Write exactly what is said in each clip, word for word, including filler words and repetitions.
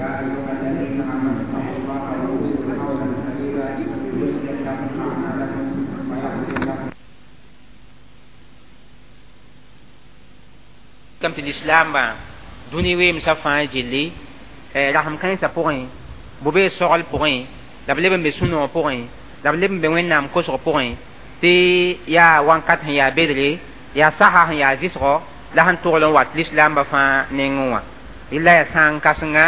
يا أيها الذين آمنوا اتقوا الله وقولوا قولا سديدا يصلح لكم أعمالكم ويغفر لكم كم الإسلام با دوني ويم سفان جلي رحم كان سبوين بوبي سوال بوين لبلبن بسونو بوين لبلبن بوين نام كوسو بوين تي يا وانكات يا بدري يا saha ya zisgo la sẽn togl n wat lislaambã fãa nengẽ wã rɩla yaa sãn kãsenga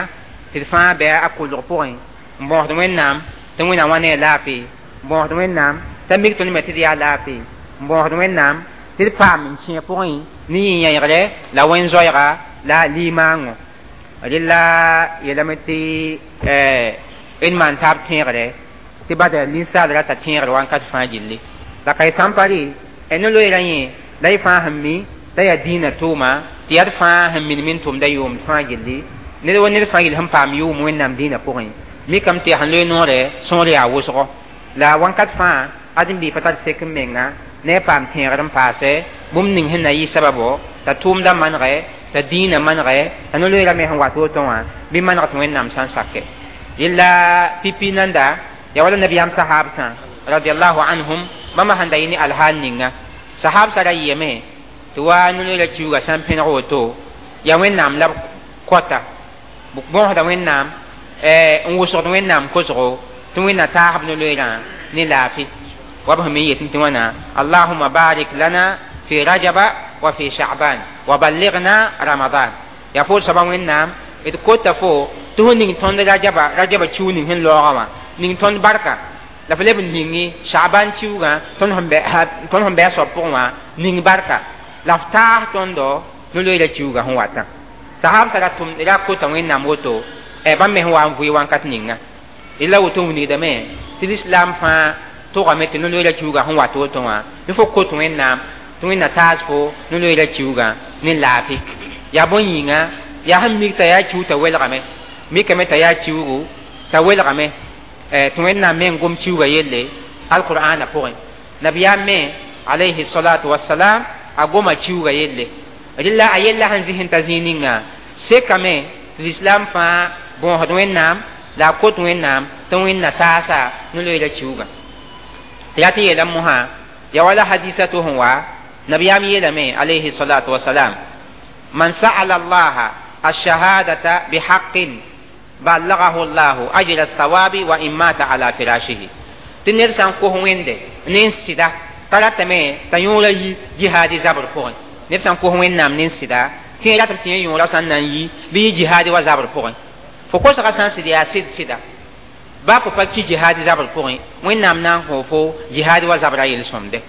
tɩ d fãa bɩ a kolg pʋgẽ n bõosd wẽnnaam tɩ wẽnnaam wã ne a laafɩ n bõosd wẽnnaam t'a mik tõnd me tɩ d yaa laafɩ n bõosd wẽnnaam tɩ d paam n kẽ pʋgẽ ne yĩ-yẽegre la wẽn-zoɛɛga la limaango rɩla yeelame tɩ d maan taab tẽegre tɩ bada ninsaal rata tẽegr wãnkat fãa gilli la ka y sã n pa rɩ ne loeera yẽ la y fãa sẽn mi t'a yaa dĩinã tʋʋma tɩ yaa d fãa sẽn minim n tʋmda yʋʋmd fãa gilli ned wa ned fãa gill sẽn paam yʋʋm wẽnnaam dĩinã pʋgẽ mikame tɩ yaa sẽn loe noore sõor yaa wʋsgo la wãnkat fãa ãdem-biig pa tar sek n menga ne a paam tẽegr n paase bũmb ning sẽn na yɩ sababo t'a tʋʋmdã manegɛ t'a dĩinã manegɛ t'a no-loeera me sẽn wat woto wã bɩ maneg tɩ wẽnnaam sã n sake yella pipi nanda yaa wala nabiyaam sahaabsã radiallahu anhum bãmba sẽn da yɩ ne alhaal ninga sahab sara yɩyame tɩ wa no-loeera kiuugã sã n pẽneg woto yaa wẽnnaam la b kɔta bõosda wẽnnaam n wʋsgd wẽnnaam kosgo tɩ wẽnna taasb no-loeerã ne laafɩ wa b sẽn me yetẽ tɩ wãna allahuma barik lana fi rajaba wa fi sha'ban wa balligna ramadan yaa fo soaba wẽnnaam d kota fo tɩ fo ning tõnd rajaba rajaba kiu ning sẽn laoogã wã ning tõnd barka la f leb n ningi sha'ban kiugã tõnd sẽn bɩ a soab pʋgẽ wã ning barka la f taas tõndo no-loeera kiugã sẽn watã sahab ra tʋm ra kota wẽnnaam woto bãmb me sẽn wa n vʋɩ wãnkat ninga la woto wilgdame tɩ lislaam fãa tʋgame tɩ no-loeera kiugã sẽn wat woto wã ne fo kot wẽnnaam tɩ wẽnna taas fo no-loeera kiugã ne laafɩ yaa bõn yĩnga yaa sẽn mik t'a yaa kiu t'a welgame mikame t'a yaa kiugu t'a welgame tɩ wẽnnaam me n gom kiuga yelle alqur'ana pʋgẽ nabiyaam me alayhi salatu wasalam a goma kiuga yelle rɩla a yella sẽn zɩs n ta zĩig ninga sekame tɩ lislaam fãa bõosd wẽnnaam la a kot wẽnnaam tɩ wẽnna taasa no-loeera kiugã tɩ yaa tɩ yeelame mosã yaa wala hadisa to sẽn wa nabiyaam yeelame alayhi salatu wasalam man sa'ala allaha الشهادة بحق بلغه الله أجر الثواب وإن مات على فراشه تنير سان كوه ويند نين سيدا تراتمي تيولا يي جهاد زبر فوق نير سان كوه وين نام نين سيدا تي راتم تي يولا سان نان يي بي جهاد وزبر فوق فكو سا سان سيدا سيد سيدا با فو با جهاد زبر فوق وين نام نان هو فو جهاد وزبر يل سومده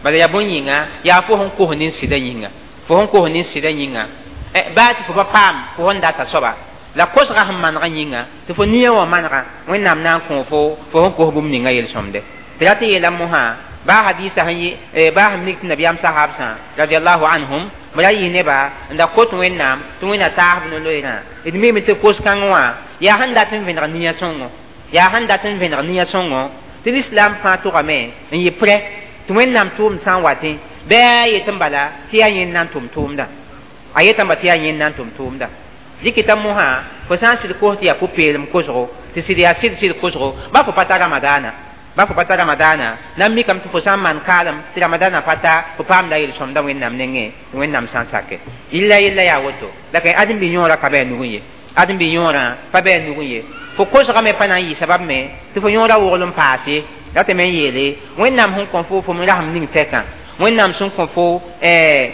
بل يا بون ييغا يا فو هون كوه نين سيدا ييغا fo sẽn kos nin sɩda yĩnga baa tɩ fo pa paam fo sẽn data soaba la kosgã sẽn manegã yĩnga tɩ fo nia wã manega wẽnnaam na n kõ fo fo sẽn kos bũmb ninga yel-sõmde tɩ ra tɩ yeela mosã baa hadisa sẽn yɩ baa sẽn mik tɩ nabiyaam sahabsã radiallahu anhum b ra yɩ neba n da kot wẽnnaam tɩ wẽnna taasb no-loeerã d mime tɩ kos-kãng wã yaa sẽn dat n vẽneg nia sõngo yaa sẽn dat n vẽneg nia sõngo tɩ lislaam fãa tʋgame n yɩ prɛ tɩ wẽnnaam tʋʋmd sã n watẽ bɩ a yet n bala tɩ yaa yẽnd na n tʋm tʋʋmda a yetãmba tɩ yaa yẽnd na n tʋm tʋʋmda dɩkɩta mosã fo sã n sɩd kos tɩ yaa pʋ-peelem kosgo tɩ sɩd yaa sɩd sɩd kosgo ba fo pa ta ramadaana ba fo pa ta ramadaana na n mikame tɩ fo sã n maan kaalem tɩ ramadaana pa ta fo paamda yel-sõmda wẽnnaam nengẽ tɩ wẽnnaam sã n sake yella yella yaa woto la ka ãdem-bi yõorã ka bɩ a nugẽ ye ãdem-bi yõorã pa bɩ a nugẽ ye fo kosgame pa na n yɩ sabab me tɩ fo yõorã wogl n paase la tɩ me n yeele wẽnnaam sẽn kõ fo fo m rasem ning tɛkã wẽnnaam sẽn kõ fo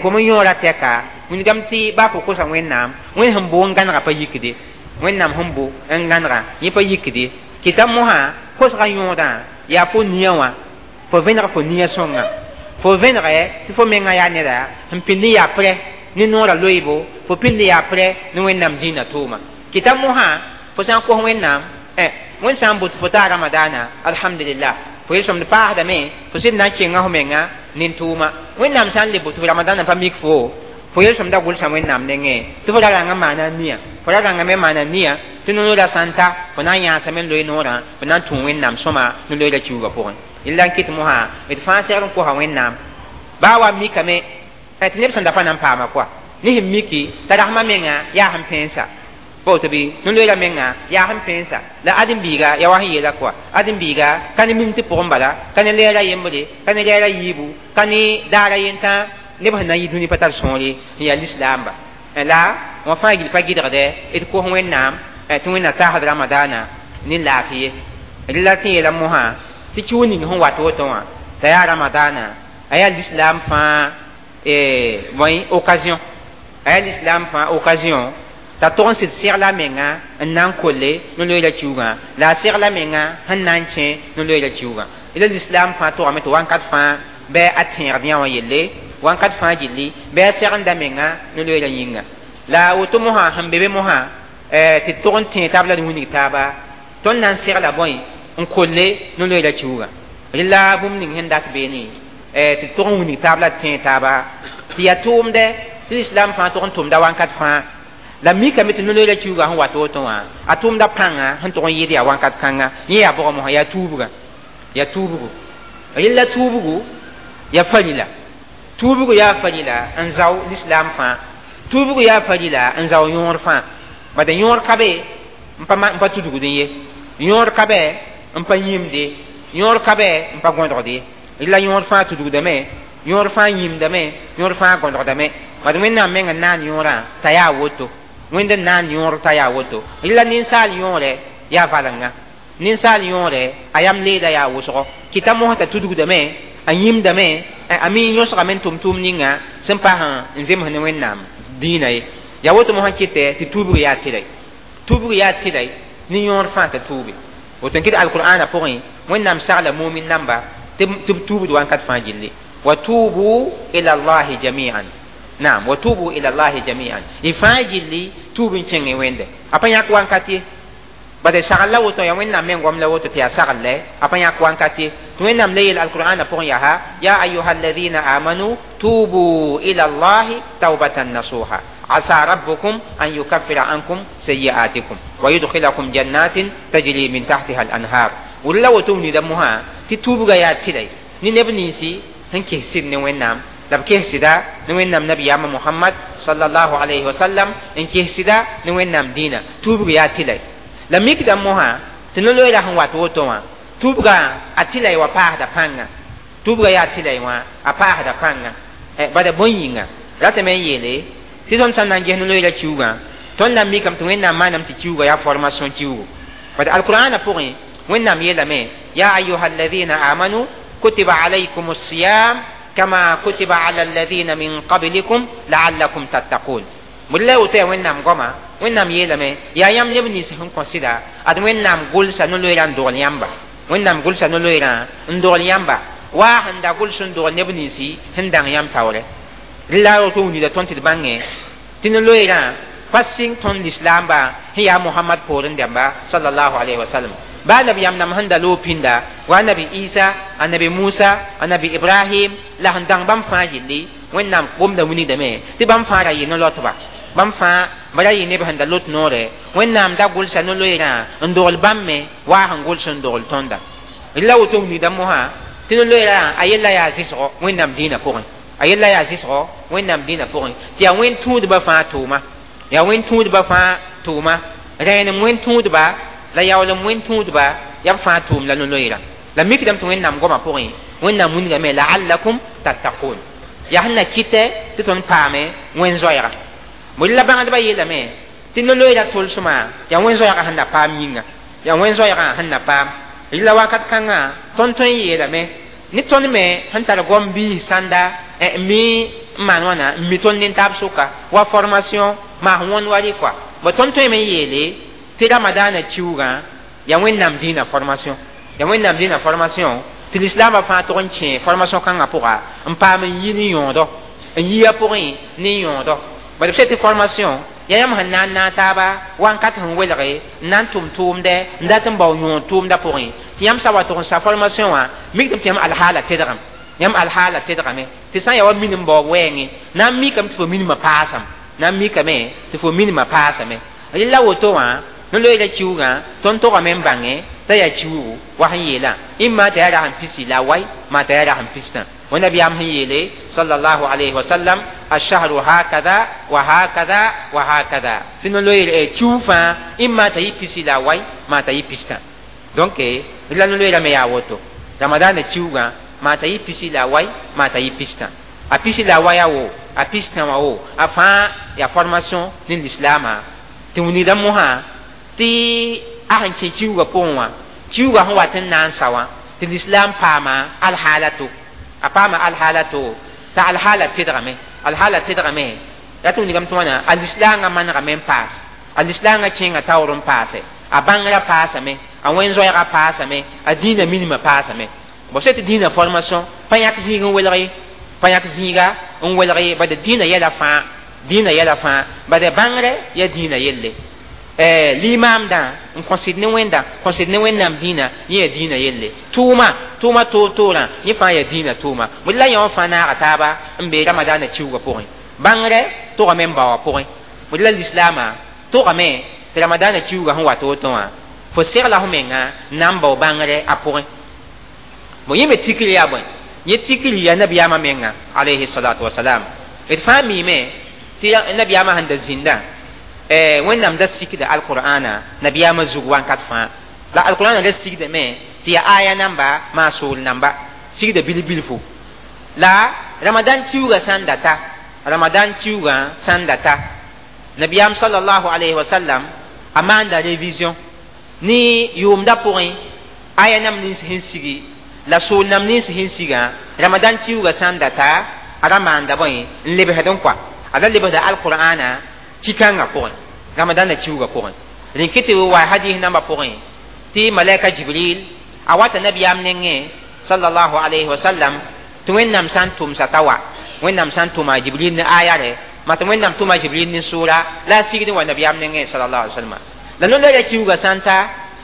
fo m yõorã tɛka wilgame tɩ baa fo kosa wẽnnaam wẽnd sẽn bo n gãnega pa yikde wẽnnaam sẽn bo n gãnega yẽ pa yikde kɩta mosã kosgã yõodã yaa fo nia wã fo vẽneg fo nia sõnga fo vẽnegɛ tɩ fo menga yaa neda sẽn pĩnd n yaa prɛ ne noorã loeebo fo pĩnd n yaa prɛ ne wẽnnaam dĩinã tʋʋma kɩta mosã fo sã n kos wẽnnaam wẽnd sã n bot fo taa ramadaana alhamdulillah fo yel-sõmd paasdame fo sɩd na n kenga fo menga nin-tʋʋma wẽnnaam sã n le bot fo ramadaanã pa mik fo fo yel-sõmda gʋlsã wẽnnaam nengẽ tɩ fo ra rãngã maana nia fo ra rãngã me maana nia tɩ no-loeera sã n ta fo na n yãasame n loe noorã fo na n tũ wẽnnaam sõma no-loeera kiuugã pʋgẽ yella n kɩt mosã d fãa segd n kosa wẽnnaam baa wa mikame tɩ neb sẽn da pa na n paama koa ne sẽn miki t'a rasmã menga yaa sẽn pẽensa Pa woto bɩ no-loeera menga yaa sẽn pẽensa la ãdem-biiga ya wa sẽn yeela kɔa ãdem-biiga ka ne mim tɩ pʋgẽ bala ka ne lɛɛra yembre ka ne lɛɛra yiibu ka ne daara yentã neb sẽn na n yi dũni pa tar sõore n yaa lislaamba la wã fãa gill pa gɩdgdɛ d kos Wẽnnaam tɩ Wẽnnaam taasd ramadaana ne laafɩ ye rɩla tɩ yeela mosã tɩ kiu ning sẽn wat woto wã t'a yaa ramadaana a yaa lislaam fãa bõe occasion a yaa lislaam fãa occasion t'a tog n sɩd segla menga n na n kolle no-loeera kiugã la a segla menga sẽn na n kẽ no-loeera kiugã la lislaam fãa togame tɩ wãnkat fãa bɩ a tẽegd yã wã yelle wãnkat fãa gilli bɩ a segenda menga no-loeera yĩnga la woto mosã sẽn be be mosã tɩ tog n tẽeg taab la d wilg taaba tõnd na n segla bõe n kolle no-loeera kiugã rɩla bũmb ning sẽn dat beene tɩ tog n wilg taab la d tẽeg taaba tɩ yaa tʋʋmdɛ tɩ lislaam fãa tog n tʋmda wãnkat fãa la mikame tɩ no-loeera kiugã sẽn wat woto wã a tʋʋmda pãnga sẽn tog n yɩɩd yaa wãnkat kãnga yẽ yaa bʋgã mosã yaa tuubgã yaa tuubgu rɩla tuubgu yaa farila tuubgu yaa farila n zao lislaam fãa tuubgu yaa farila n zao yõor fãa bada yõor ka be n pa n pa tudgdẽ ye yõor ka bɛ n pa yĩmde yõor ka bɛ n pa gõdgd ye rɩla yõor fãa tudgdame yõor fãa yĩmdame yõor fãa gõdgdame bad Wẽnnaam meng n naan yõorã t'a yaa woto Wẽnd n naan yõor t'a yaa woto rɩla ninsaal yõore yaa valenga ninsaal yõore a yam leeda yaa wʋsgo kɩta mosã t'a tudgdame a yĩmdame a mi yõsgame n tʋm tʋʋm ninga sẽn paas n zems ne Wẽnnaam dĩinã ye yaa woto mosã kɩtɛ tɩ tuubg yaa tɩlɛ tuubg yaa tɩlɛ ne yõor fãa t'a tuube woto n kɩt alqur'ana pʋgẽ Wẽnnaam sagla mumin namba tɩ b tuubd wãnkat fãa gilli wa tubu ila llahi jami'an naam wa tubu ila llahi jami'an y fãa gilli tuub n kẽngẽ Wẽnde a pa yãk wãnkat ye bade sagl la woto ya Wẽnnaam meng goam la woto tɩ yaa sagl a pa yãk wãnkat ye tɩ Wẽnnaam le yeel alqur'ana pʋgẽ yaa ya ayuha alladina amanu tubu ila llahi taubatan nasuha asa rabbukum an yukaffira ankum sayi'atikum wa yudkhilakum jannatin tajri min tahtiha al-anhar walla woto nida mosã tɩ tuubga yaa tɩlɛ ne neb ninsi sẽn kes sɩd ne Wẽnnaam la b kes sɩda ne Wẽnnaam nabiyaamã Mohamad sallallahu alayhi wa sallam n kes sɩda ne Wẽnnaam dĩinã tuubg yaa tɩlɛ la mikda mosã tɩ no-loeera sẽn wat woto wã tuubgã a tɩlɛ wa paasda pãnga tuubga yaa tɩlɛ wã a paasda pãnga bada bõe yĩnga ratame n yeele tɩ tõnd sã n na n ges no-loeera kiugã tõnd na n mikame tɩ Wẽnnaam maaname tɩ kiuga yaa formation kiugu bad alqur'ana pʋgẽ Wẽnnaam yeelame ya ayuha alladina amanu kutiba alaykum الصiyam kama kutiba ala alladina min qablikum la'allakum tattaqun la woto yaa Wẽnnaam goama Wẽnnaam yeelame yaa yãmb neb nins sẽn kõ sɩda ad Wẽnnaam gʋlsa no-loeerã n dogl yãmba Wẽnnaam gʋlsa no-loeerã n dogl yãmba waa sẽn da gʋls n dogl neb ninsi sẽn dãng yãmb taoorɛ la woto wilgda tõnd tɩ d bãngẽ tɩ no-loeerã pa sɩng tõnd lislaamba sẽn yaa Mohamad poorẽ dãmba sallallahu alayhi wa sallam ba nabiyaam nam sẽn da loog pĩnda wa nabi Isa a nabi Musa a nabi Ibrahim la sẽn dãng bãmb fãa gilli Wẽnnaam gomda wilgdame tɩ bãmb fãa ra yɩ no-loatba bãmb fãa bara yɩ neb sẽn da lot noore Wẽnnaam da gʋlsa no-loeerã n dogl bãmb me waa sẽn gʋls n dogl tõnda la woto wilgda mosã tɩ no-loeerã a yella yaa zɩsgo Wẽnnaam dĩinã pʋgẽ a yella yaa zɩsgo Wẽnnaam dĩinã pʋgẽ tɩ yaa wẽn tũudbã fãa tʋʋma yaa wẽn tũudbã fãa tʋʋma rẽenem wẽn tũudba la yaoolem wẽn tũudba yaa b fãa tʋʋm la no-loeerã la mikdame tɩ Wẽnnaam goamã pʋgẽ Wẽnnaam wilgame la'allakum tattaqun yaa sẽn na kɩtɛ tɩ tõnd paame wẽn zoɛɛga la bãngdbã yeelame tɩ no-loeera tolsmã yaa wẽn zoɛɛgã sẽn na paam yĩnga yaa wẽn zoɛɛgã sẽn na paam rɩla wakat kãngã tõnd tõe n yeelame ne tõnd me sẽn tar goam biis sãnda n mi n maan wãna n mi tõnd nin-taab sʋka wa formation maas wõnd wa rɩ kɔa bõ tõnd tõeme n yeele tɩ ramadaana kiugã yaa Wẽnnaam dĩinã formation yaa Wẽnnaam dĩinã formation tɩ lislaambã fãa tog n kẽ formation kãngã pʋga n paam n yi ne yõodɔ n yi a pʋgẽ ne yõodɔ bad b tɩ formation yaa yãmb sẽn na n naag taaba wãnkat sẽn welge n na n tʋm tʋʋmdɛ n dat n bao yõod tʋʋmdã pʋgẽ tɩ yãmb sa wa tog n sa formation wã mikdame tɩ yãmb alhaala tedgame yãmb alhaala tedgame tɩ sã n yaa wa minim baoob wɛɛngẽ na n mikame tɩ fo minimã paasame na n mikame tɩ fo minimã paasame rɩla woto wã no-loeera kiugã tõnd togame n bãngẽ t'a yaa kiugu wa sẽn yeelã ĩmma t'a yaa rasem pisi la wai maa t'a yaa rasem pistã ونبيام هي صلى الله عليه وسلم الشهر هكذا وهكذا وهكذا تنلوي تشوفا إما تيبسي لا واي ما تيبستا donc la نلوي ما ياوتو رمضان تشوغا ما تيبسي لا واي ما تيبستا a pisi la waya wo a pisi tã wã wo a fãa yaa formation ne lislaamã tɩ wilgda mosã tɩ a sẽn kẽ kiuugã pʋgẽ wã kiuugã sẽn wat n na n sa wã tɩ lislaam paama alhaala to a paama alhaala to t'a alhaala tedgame alhaala tedgame rat wilgame tɩ wãna a lislaangã manegame n paas a lislaangã kẽnga taoor n paase a bãngrã paasame a wẽn-zoɛɛgã paasame a dĩinã minimã paasame bo sã tɩ dĩinã formation pa yãk zĩig n welg ye pa yãk zĩiga n welg ye bad dĩinã yɛla fãa dĩinã yɛla fãa bad bãngrɛ ya dĩinã yelle limaamdã n kõsd ne wẽnda kõsd ne wẽnnaam dĩinã yẽ ya dĩinã yelle tʋʋma tʋʋma toor-toorã yẽ fãa ya dĩinã tʋʋma bd la yã wã fãa naaga taaba n be ramadaanã kiuugã pʋgẽ bãngrɛ togame n baoowã pʋgẽ bd la lislaamã togame tɩ ramadaanã kiuugã sẽn wat woto wã fo segla f menga n na n bao bãngrɛ a pʋgẽ bo yẽ me tikr yaa bõe yẽ tikr yaa nabiyaamã menga alayhi salatu wasalam d fãa miime tɩ nabiyaamã sẽn da zĩndã wẽnnaam da sikda alqur'ana nabiyaamã zug wãnkat fãa la alqur'ana da sigdame tɩ yaa aya namba maa sool namba sigda bil-bilfu la ramadan kiuugã sã n data ramadan kiuugã sã n data nabiyaam sallallahu alayhi wa sallam a maanda révision ne yʋʋmda pʋgẽ aya nam nins sẽn sigi la sool nam nins sẽn sigã ramadan kiuugã sã n data a ra maanda bõe n lebsd n kɔa a ra lebsda alqur'ana kikãngã pʋgẽ ramadana kiuugã pʋgẽ rẽn tɩ wa hadis nambã pʋgẽ tɩ malaika jibril a wata nabiyaam nengẽ sallallahu alayhi wa sallam tɩ wẽnnaam sã n tʋmsa t'a wa wẽnnaam sã n tʋma jibril ne aya rɛ mat wẽnnaam tʋma jibril ne sʋʋra la a sigd n wa nabiyaam nengẽ sallallahu alayhi wa sallam la no-loeera kiuugã sã n ta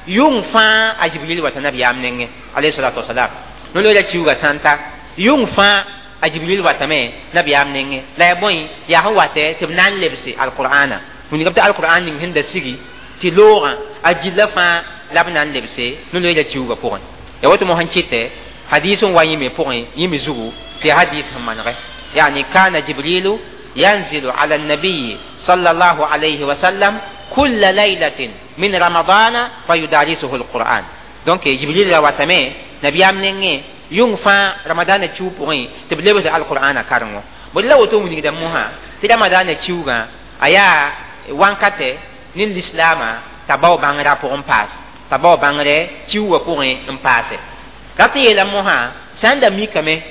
yʋng fãa a jibril wata nabiyaam nengẽ alayhi salatu wasalam no-loeera kiuugã sã n ta yʋng fãa a jibril watame nabiyaam nengẽ la ya bõe yaa sẽn watɛ tɩ b na n lebse alqur'ana wilgame tɩ alqur'an ning sẽn da sigi tɩ loogã a gilla fãa la b na n lebse no-loeera kiuugã pʋgẽ ya woto mosã kɩtɛ hadis n wa yĩme pʋgẽ yĩme zugu tɩ hadis sẽn manegɛ yani kana jibrilu ينزل على النبي صلى الله عليه وسلم كل ليلة من رمضان فيدارسه القرآن donc jibril ra watame nabiyaam nengẽ yʋng fãa ramadaana kiu pʋgẽ tɩ b lebsd alqur'ana karengo bd la woto wilgda mosã tɩ ramadaana kiugã a yaa wãnkatɛ ne lislaamã t'a bao bãngrã pʋgẽ paas t'a bao bãngrɛ kiugã pʋgẽ n paase rat n yeela mosã sã n da mikame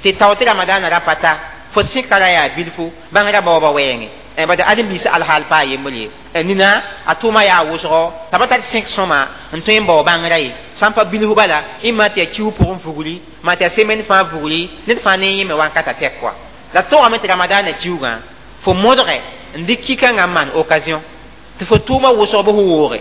tɩ tao tɩ ramadaana ra pa ta fo sẽka ra yaa bilfu bãngrã baooba wɛɛngẽ bad ãdem-biis alhaal paa yembr ye nina a tʋʋma yaa wʋsgo t'a pa tar sẽk sõma n tõe n bao bãngrã ye sã n pa bilf bala ɩma tɩ yaa kiu pʋgẽ vugri maa tɩ yaa semaine fãa vugri ned fãa ne yẽme wãnkata tɛk kɔa la togame tɩ ramadaanã kiugã fo modge n dɩk kikãngã n maan occasion tɩ fo tʋʋma wʋsg bɩ fo wooge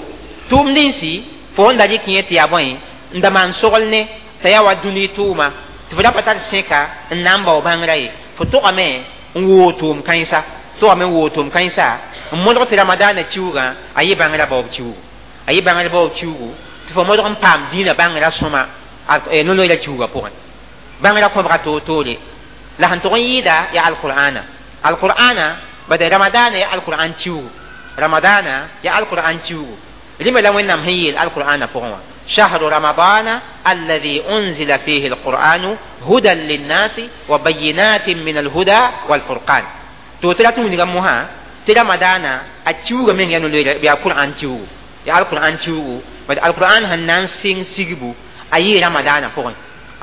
tʋʋm ninsi fo n da rɩk yẽ tɩ yaa bõe n da maan sogl ne t'a yaa wa dũni tʋʋma tɩ fo da pa tar sẽka n na n bao bãngrã ye fo togame n woog tʋʋm kãensa togame n woog tʋʋm kãensa n modg tɩ ramadaanã kiugã a yɩ bãngrã baoob kiugu a yɩ bãngrã baoob kiugu tɩ fo modg n paam dĩinã bãngrã sõma no-loeera kiugã pʋgẽ bãngrã kõbga toor-toore la sẽn tʋg n yɩɩda yaa alqur'ana alqur'ana bad ramadaana yaa alqur'an kiugu ramadaana yaa alqur'an kiugu rĩma la wẽnnaam sẽn yeel alqur'ana pʋgẽ wã شهر رمضان الذي أنزل فيه القرآن هدى للناس وبينات من الهدى والفرقان تو ترى توني موها ترى رمضان أتشوغ من ينو بيا القرآن تشوغ يا القرآن تشوغ بس القرآن هنان سين سيغبو أي رمضان فوق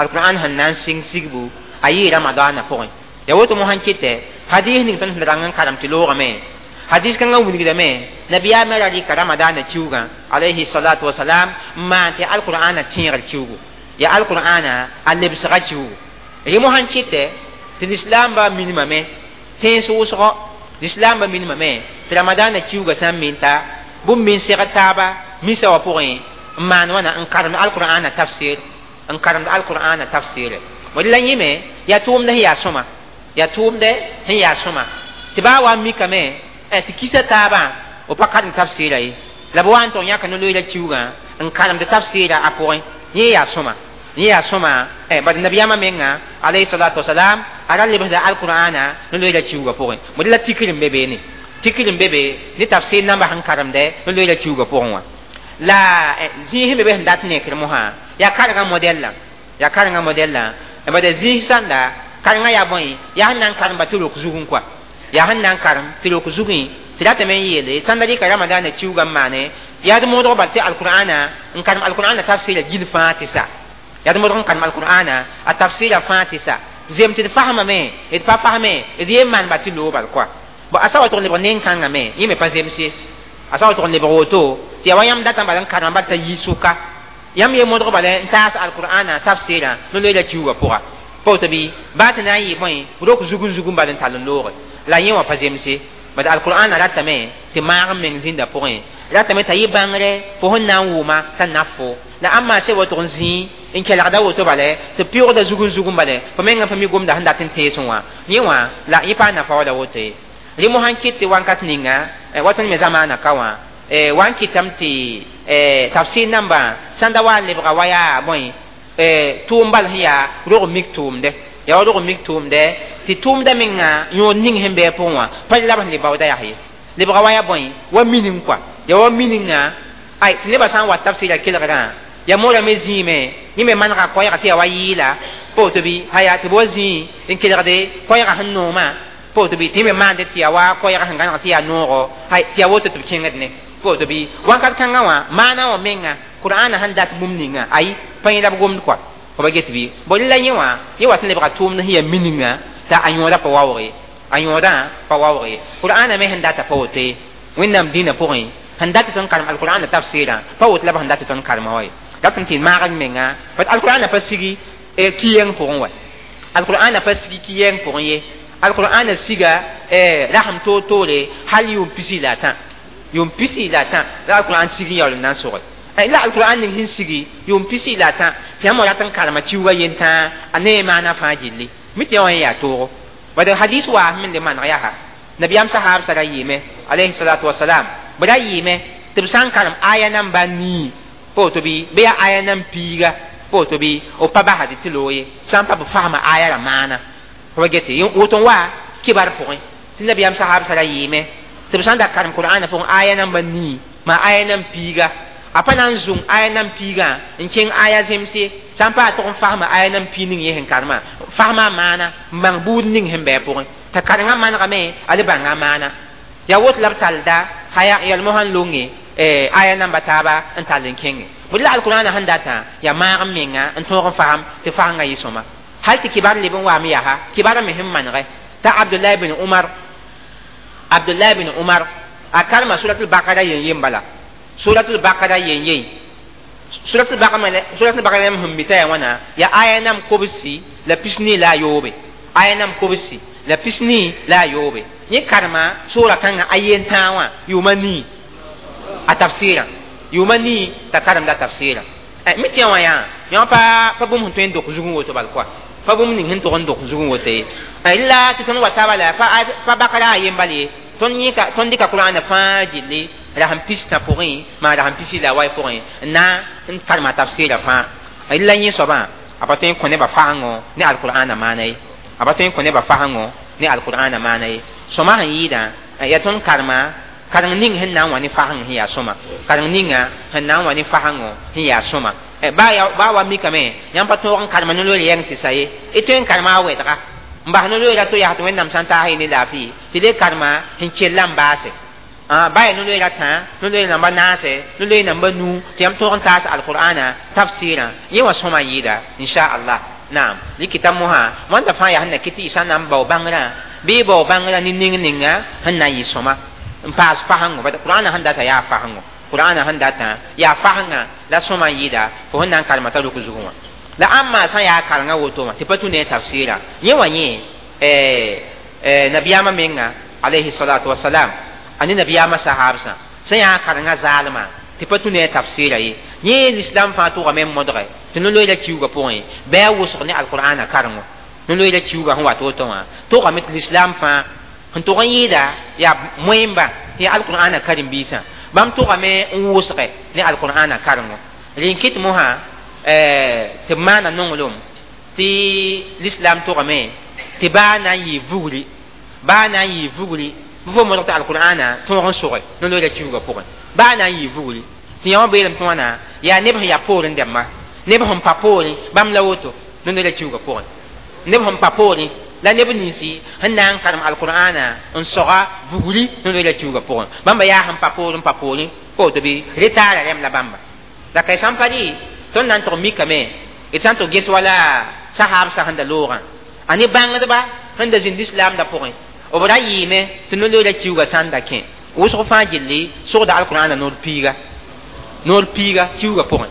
القرآن هنان سين سيغبو أي رمضان فوق يا وتو موهان كيته حديث نين تن رانغان كرام تلوغ مي hadis kãngã wilgdame nabiyaamã ra rɩka ramadaanã kiugã alayhi salatu wasalam n maan tɩ alqur'ana tẽegr kiugu yaa alqur'ana a lebsga kiugu rẽ mosã n kɩtɛ tɩ lislaambã minimame tẽns wʋsgo lislaambã minimame tɩ ramadaanã kiugã sã n min ta bũmb min segd taaba misa wã pʋgẽ n maan wãna n karemd alqur'ana tafsir n karemd alqur'ana tafsire bd la yẽme yaa tʋʋmd sẽn yaa sõma yaa tʋʋmdɛ sẽn yaa sõma tɩ baa wa n mikame tɩ kisa taabã b pa karem tafsɩɩra ye la b wa n tʋg yãka no-loeera kiugã n karemd tafsɩɩra a pʋgẽ yẽ yaa sõma yẽ yaa sõma bad nabiyaamã menga alayhi salatu wasalam a ra lebsda alqur'ana ne loeera kiuugã pʋgẽ bõe la tikr n be beene tikr n be be ne tafsir namba sẽn karemdɛ ne loeera kiuugã pʋgẽ wã la zĩig sẽn be be sẽn dat nekr mosã yaa karengã modɛl yaa karengã modɛl bad zĩig sãnda karengã yaa bõe yaa sẽn na n karem ba tɩ rok zugẽ kɔa yaa sẽn na n karem tɩ rok zugẽ tɩ ratame n yeele sãn da rɩka ramadaana kiuugã n maane yaa d modg bal tɩ alqur'ana n karem alqur'ana tafsɩra gil fãa tɩ sa yaa d modg n karem alqur'ana a tafsɩra fãa tɩ sa zem tɩ d fasmame d pa fasme d yen maan ba tɩ loog bal kɔa bon a sa wa tʋg n lebg nen-kãngã me yẽ me pa zems ye a sa wa tʋg n lebg woto tɩ yaa wa yãmb datã bala n karema bal t'a yi sʋka yãmb ye modg bala n taas alqur'ana tafsɩrã no loeera kiuugã pʋga pa woto bɩ baa tɩ na n yɩ bõe rok zugum zugum bal n tall n looge la yẽ wã pa zemse bad alqur'ana ratame tɩ maag n meng zĩnda pʋgẽ ratame t'a yɩ bãngre fo sẽn na n wʋma t'a naf fo la ãmba se woto n zĩi n kelgda woto bala tɩ pɩʋgda zugum zugum bala fo mengã pa mi gomda sẽn dat n teesẽ wã yẽ wã la yẽ paa nafa wala woto ye rẽ mosã n kɩt tɩ wankat ninga wa tõnd me zamaana ka wã wa n kɩtame tɩ tafsir nambã sãn da wa n lebga wa yaa bõe tʋʋm bal sẽn yaa rog mik tʋʋmdɛ yaa wa rog mik tʋʋmdɛ tɩ tʋʋmda menga yõod ning sẽn bɩ a pʋgẽ wã pa la b sẽn le baooda yaa ye lebga wa yaa bõe wa mining kɔa yaa wa mininga ay tɩ nebã sã n wa tafsɩra kelgrã ya moorame zĩime yẽ me manega koɛɛga tɩ yaa wa yɩɩla pa woto bɩ haya tɩ b wa zĩi n kelgde koɛɛga sẽn noomã pa woto bɩ tɩ yẽ me maande tɩ yaa wa koɛɛga sẽn gãneg tɩ yaa noogo hay tɩ yaa woto tɩ b kẽngd ne pa woto bɩ wãnkat kãngã wã maana wã menga qur'ana sẽn dat bũmb ninga ayi pa yẽ la b gomd kɔa fo ba get bɩ bõ la yẽ wã yẽ wat n lebga tʋʋmd sẽn yaa mininga t'a a yõoda pa waoog ye a yõodã pa waoog ye qur'ana me sẽn data pa woto ye wẽnnaam dĩinã pʋgẽ sẽn dat tɩ tõnd karem alqur'ana tafsɩrã pa woto la b sẽn dat tɩ tõnd karema wa ye dat n tɩ maag n menga bat alqur'ana pa sigi kiyɛng pʋgẽ wa alqur'ana pa sigi kiyɛng pʋgẽ ye alqur'ana siga rasem toor toore hal yʋʋm pisi la a tã yʋʋm pisi la a tã la alqur'an sig n yaool n na n sʋge la alqur'an ning sẽn sigi yʋʋm pisi la a tã tɩ yãmb rat n karema kiuugã yentã a ne maana fãa gilli mi tɩ yã wã yaa toogo bad hadis waa sẽn le maneg yaa nabiyaam sahaab sa ra yɩɩme alayhi salatu wasalam b ra yɩɩme tɩ b sã n karem aya namba nii pa woto bɩ bɩ yaa aya nan piiga pa woto bɩ b pa basd tɩ loog ye sã n pa b fasma aya ra maana fo ba gete woto n wa kibar pʋgẽ tɩ nabiyaam sahaab sa ra yɩɩme tɩ b sã n da karem qur'ana pʋgẽ aya namba nii maa aya nan piiga a pa na n zũng aya nan piigã n kẽng aya zemse sã n pa a tʋg n fasma aya nan pii ning yẽ sẽn karema fasma a maana n bãng buud ning sẽn bɩ a pʋgẽ t'a karengã manegame a le bãnga a maana yaa woto la b talda haya yalmo sãn longe aya namba taaba n tall n kẽnge bõe la alqur'ana sẽn datã yaa maag n menga n tõog n fasem tɩ fasengã yɩ sõma hal tɩ kibar leb n waame yaa kibar me sẽn manege t'a abdullah bin umar abdullah bin umar a karema suratul bakara yen yen bala suratul bakara yen yen suratul bakara suratul bakara sẽn mi t'a yaa wãna yaa aya nam kobsi la pisni la a yoobe aya nam kobsi la pisni la a yoobe yẽ karema sʋʋra kãngã a yen tãag wã yʋʋma nii a tafsɩrã yʋʋma nii t'a karemda tafsɩrã mi tɩ yã wã yaa yã pa pa bũmb sẽn tõe n dok zugẽ woto bal kɔa pa bũmb ning sẽn tog n dok zugẽ woto ye la tɩ tõnd wa taaba la pa bakara a yen bal ye tõnd yẽka tõnd dɩka qur'ana fãa gilli rasem pistã pʋgẽ maa rasem pisi la a wai pʋgẽ n na n karema tafsɩrã fãa la yẽ soabã a pa tõe n kõ nebã fasengõ ne alqur'ana maana ye a pa tõe n kõ nebã fasengõ ne alqur'ana maana ye sõma sẽn yɩɩdã yaa tõnd karema kareng ning sẽn na n wa ne faseng sẽn yaa sõma kareng ninga sẽn na n wa ne fasengõ sẽn yaa sõma baa wa mikame yãmb pa tõog n karema no-loor yɛng tɩ sa ye y tõe n karema a wɛdga n bas no-loeera to yaa tɩ wẽnnaam sã n taas y ne laafɩ tɩ le karema sẽn kell n baase baa yaa no-loeera tã no-loeer namba naase no-loeer namba nu tɩ yãmb tõog n taas alqur'ana tafsɩrã yẽ wã sõma n yɩɩda inchallah naam likita mosã wãnda fãa yaa sẽn na kɩ tɩ y sã n na n bao bãngrã bɩ bao bãngrã ne ning ninga sẽn na n yɩ sõma n paas fasengo bat qur'ana sẽn data yaa fasengo qur'ana sẽn datã yaa fasengã la sõma n yɩɩda fo sẽn na n karema t'a rʋk zugẽ wã la ãmba sã n yaa karengã woto wã tɩ pa tũ ne a tafsɩra yẽ wã yẽ nabiyaamã menga alayhi salatu wasalam a ne nabiyaamã sahaabsã sẽn yaa karengã zaalmã tɩ pa tũ ne a tafsɩra ye yẽ lislam fãa tʋgame n modge tɩ no-loeera kiuugã pʋgẽ bɩ a wʋsg ne alqur'ana karengo no-loeera kiuugã sẽn wat woto wã tʋgame tɩ lislam fãa sẽn tʋg n yɩɩda yaa moẽmba tɩ yaa alqur'ana karen-biisã bãmb tʋgame n wʋsge ne alqur'ana karengo rẽ n kɩt mosã tɩ b maana nonglem tɩ l'islam togame tɩ baa na n yɩ vugri baa na n yɩ vugri fo modg tɩ alqur'ana tõog n soge no-loeera kiuugã pʋgẽ baa na n yɩ vugri tɩ yã wã beelem tɩ wãna yaa neb sẽn yaa poorẽ dɛmba neb sẽn pa poorẽ bãmb la woto no-loeera kiuugã pʋgẽ neb sẽn pa poorẽ la neb ninsi sẽn na n karem alqur'ana n soga vugri no-loeera kiuugã pʋgẽ bãmba yaa sẽn pa poorẽ pa poorẽ woto bɩ retaara rẽm la bãmba la kay sãn pa rɩ tõnd na n tʋg mikame d sã n tʋg ges wala sahaabsã sẽn da loogã a ne bãngdba sẽn da zĩnd lislaamdã pʋgẽ b ra yɩɩme tɩ no-loeera kiuugã sã n da kẽ wʋsg fãa gilli sogda alqur'ana noor piiga noor piiga kiuugã pʋgẽ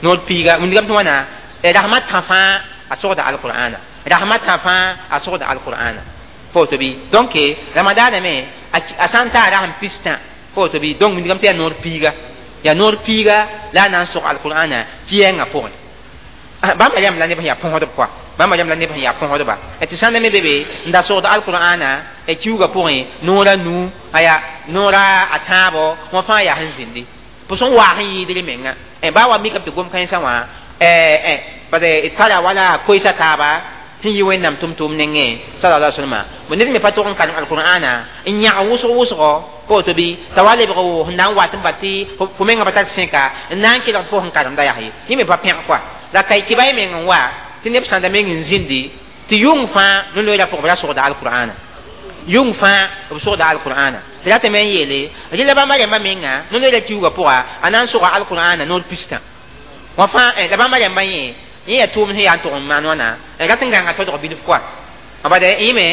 noor piiga wĩndgame tɩ wãna rasmã tã fãa a sogda alqur'ana rasmã tã fãa a sogda alqur'ana pa woto bɩ donc ramadaana me a sã n taa rasem pistã pa woto bɩ donc wĩndgame tɩ yaa noor piiga yaa noor piiga la a na n sog alqur'ana kɩyɛngã pʋgẽ bãmba rẽmb la neb sẽn yaa põsdb kɔa bãmba rẽmb la neb sẽn yaa põsdba tɩ sãnda me be be n da sogd alqur'ana kiuugã pʋgẽ noora nuu aya noora a tãabo wã fãa yaa sẽn zĩndi pʋs n waas n yɩɩdr menga baa wa mikame tɩ gom-kãensã wã bad tara wala koɛɛsa taaba sẽn yɩ wẽnnaam tʋm-tʋʋm nengẽ sallallahu alaihi wasallam bõ ned me pa tʋg n karem alqur'ana n yãg wʋsg wʋsgɔ pa woto bɩ t'a wa lebg sẽn na n wat n bat tɩ fo menga pa tar sẽka n na n kelg tɩ fo sẽn karemda yaa ye yẽ me pa pẽg kɔa la kay kɩba y meng n wa tɩ neb sãnda meng n zĩndi tɩ yʋng fãa no-loeera pʋgẽ b ra sogda alqur'ana yʋng fãa b sogda alqur'ana tɩ ratame n yeele rẽ la bãmba rẽmbã menga no-loeera kiuugã pʋga a na n soga alqur'ana noor pistã wã fãa la bãmba rẽmbã yẽ yẽ yaa tʋʋm sẽn yaa n tʋg n maan wãna rat n gãnga todg bilf kɔa bad yẽ me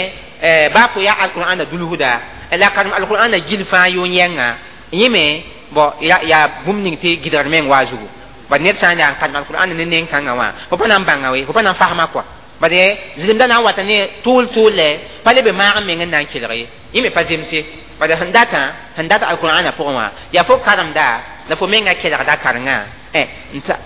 baa fo yaa alqur'ana dulsda la karem alqur'ana gil fãa yʋʋn yɛnga yẽ me bõ yaa bũmb ning tɩ gɩdgr meng waa zugu bad ned sã n yaa n karem alqur'ana ne neng-kãngã wã fo pa na n bãnga we fo pa na n fasma kɔa bad zĩlemda na n wata ne tʋʋl tʋʋlɛ pa leb maag n meng n na n kelg ye yẽ me pa zemse bad sẽn datã sẽn dat alqur'ana pʋgẽ wã yaa fo karemda la fo menga kelgda karengã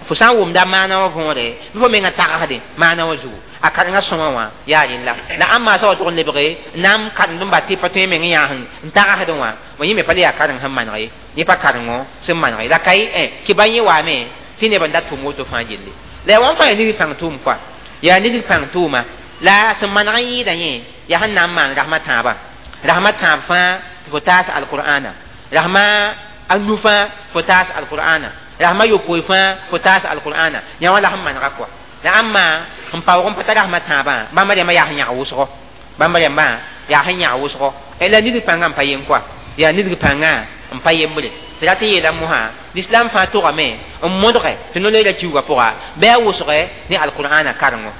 fo sã n wʋmda maana wã võore bɩ fo menga tagsde maana wã zugu a karengã sõma wã yaa rẽlla la ãmb sã wa tʋg n lebge na n karemd n bat tɩ pa tõe meng n yaa n tagsdẽ wã bõ yẽ me pa le yaa kareng sẽn maneg ye yẽ pa karengo sẽn maneg ye la kay kɩba yẽ waame tɩ neb n dat tʋm woto fãa gilli la yaa wãn fãa yaa nidg pãng tʋʋm kɔa yaa nidg pãng tʋʋma la sẽn maneg n yɩɩda yẽ yaa sẽn na n maan rasmã tãabã rasmã tãab fãa tɩ fo taas alqur'ana rasmã a nu fãa fo taas alqur'ana rasmã yopoe fãa fo taas alqur'ana yã wã la sẽn manega kɔa la ãmba n paoog n pa tar rasmã tãabã bãmba rẽmbã yaa sẽn yãg wʋsgo bãmba rẽmbã yaa sẽn yãg wʋsgo la nidg pãngã n pa yen kɔa yaa nidg pãngã n pa yembre tɩ rat n yeela mosã l'islam fãa togame n modge tɩ no-loeera kiuugã pʋga bɩ a wʋsge ne alqur'ana karengo